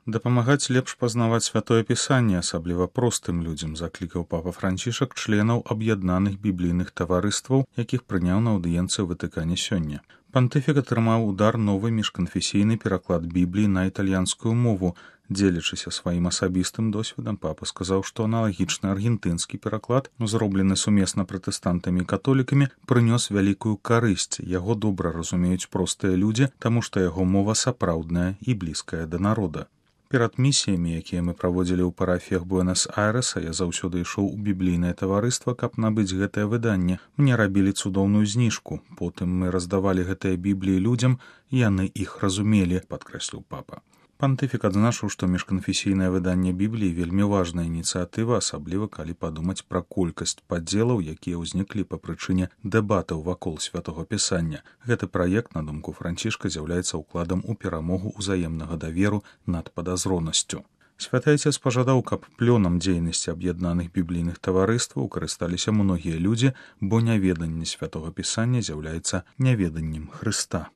Дапамагаць лепш пазнаваць святое пісанне, асабліва простым людзям, заклікаў папа Францішак членаў аб'яднаных біблійных таварыстваў, якіх прыняў на аўдыенцыі ў Ватыкане сёння. Пантыфік атрымаў удар новы міжканфесійны пераклад Бібліі на італьянскую мову. Дзелячыся сваім асабістым досведам, папа сказаў, што аналагічны аргентынскі пераклад, зроблены сумесна пратэстантамі і католікамі, прынёс вялікую карысць. Яго добра разумеюць простыя людзі, таму што яго мова сапраўдная і блізкая да народа. Перад місіямі, якія мы праводзілі ў парафіях Буэнас-Айрэса, я заўсёды ішоў у біблійнае таварыства, каб набыць гэтае выданне. Мне рабілі цудоўную зніжку. Потым мы раздавалі гэтыя бібліі людзям, і яны іх разумелі, падкрэсліў папа. Пантыфік адзначыў, што міжканфесійнае выданне Бібліі вельмі важная ініцыятыва, асабліва калі падумаць пра колькасць падзелаў, якія ўзніклі па прычыне дэбатаў вакол святога пісання. Гэты праект, на думку Францішка, з'яўляецца ўкладам у перамогу ўзаемнага даверу над падазронасцю. Святы Айцец пажадаў, каб плёнам дзейнасці аб'яднаных біблійных таварыстваў карысталіся многія людзі, бо няведанне святога пісання з'яўляецца няведаннем Хрыста.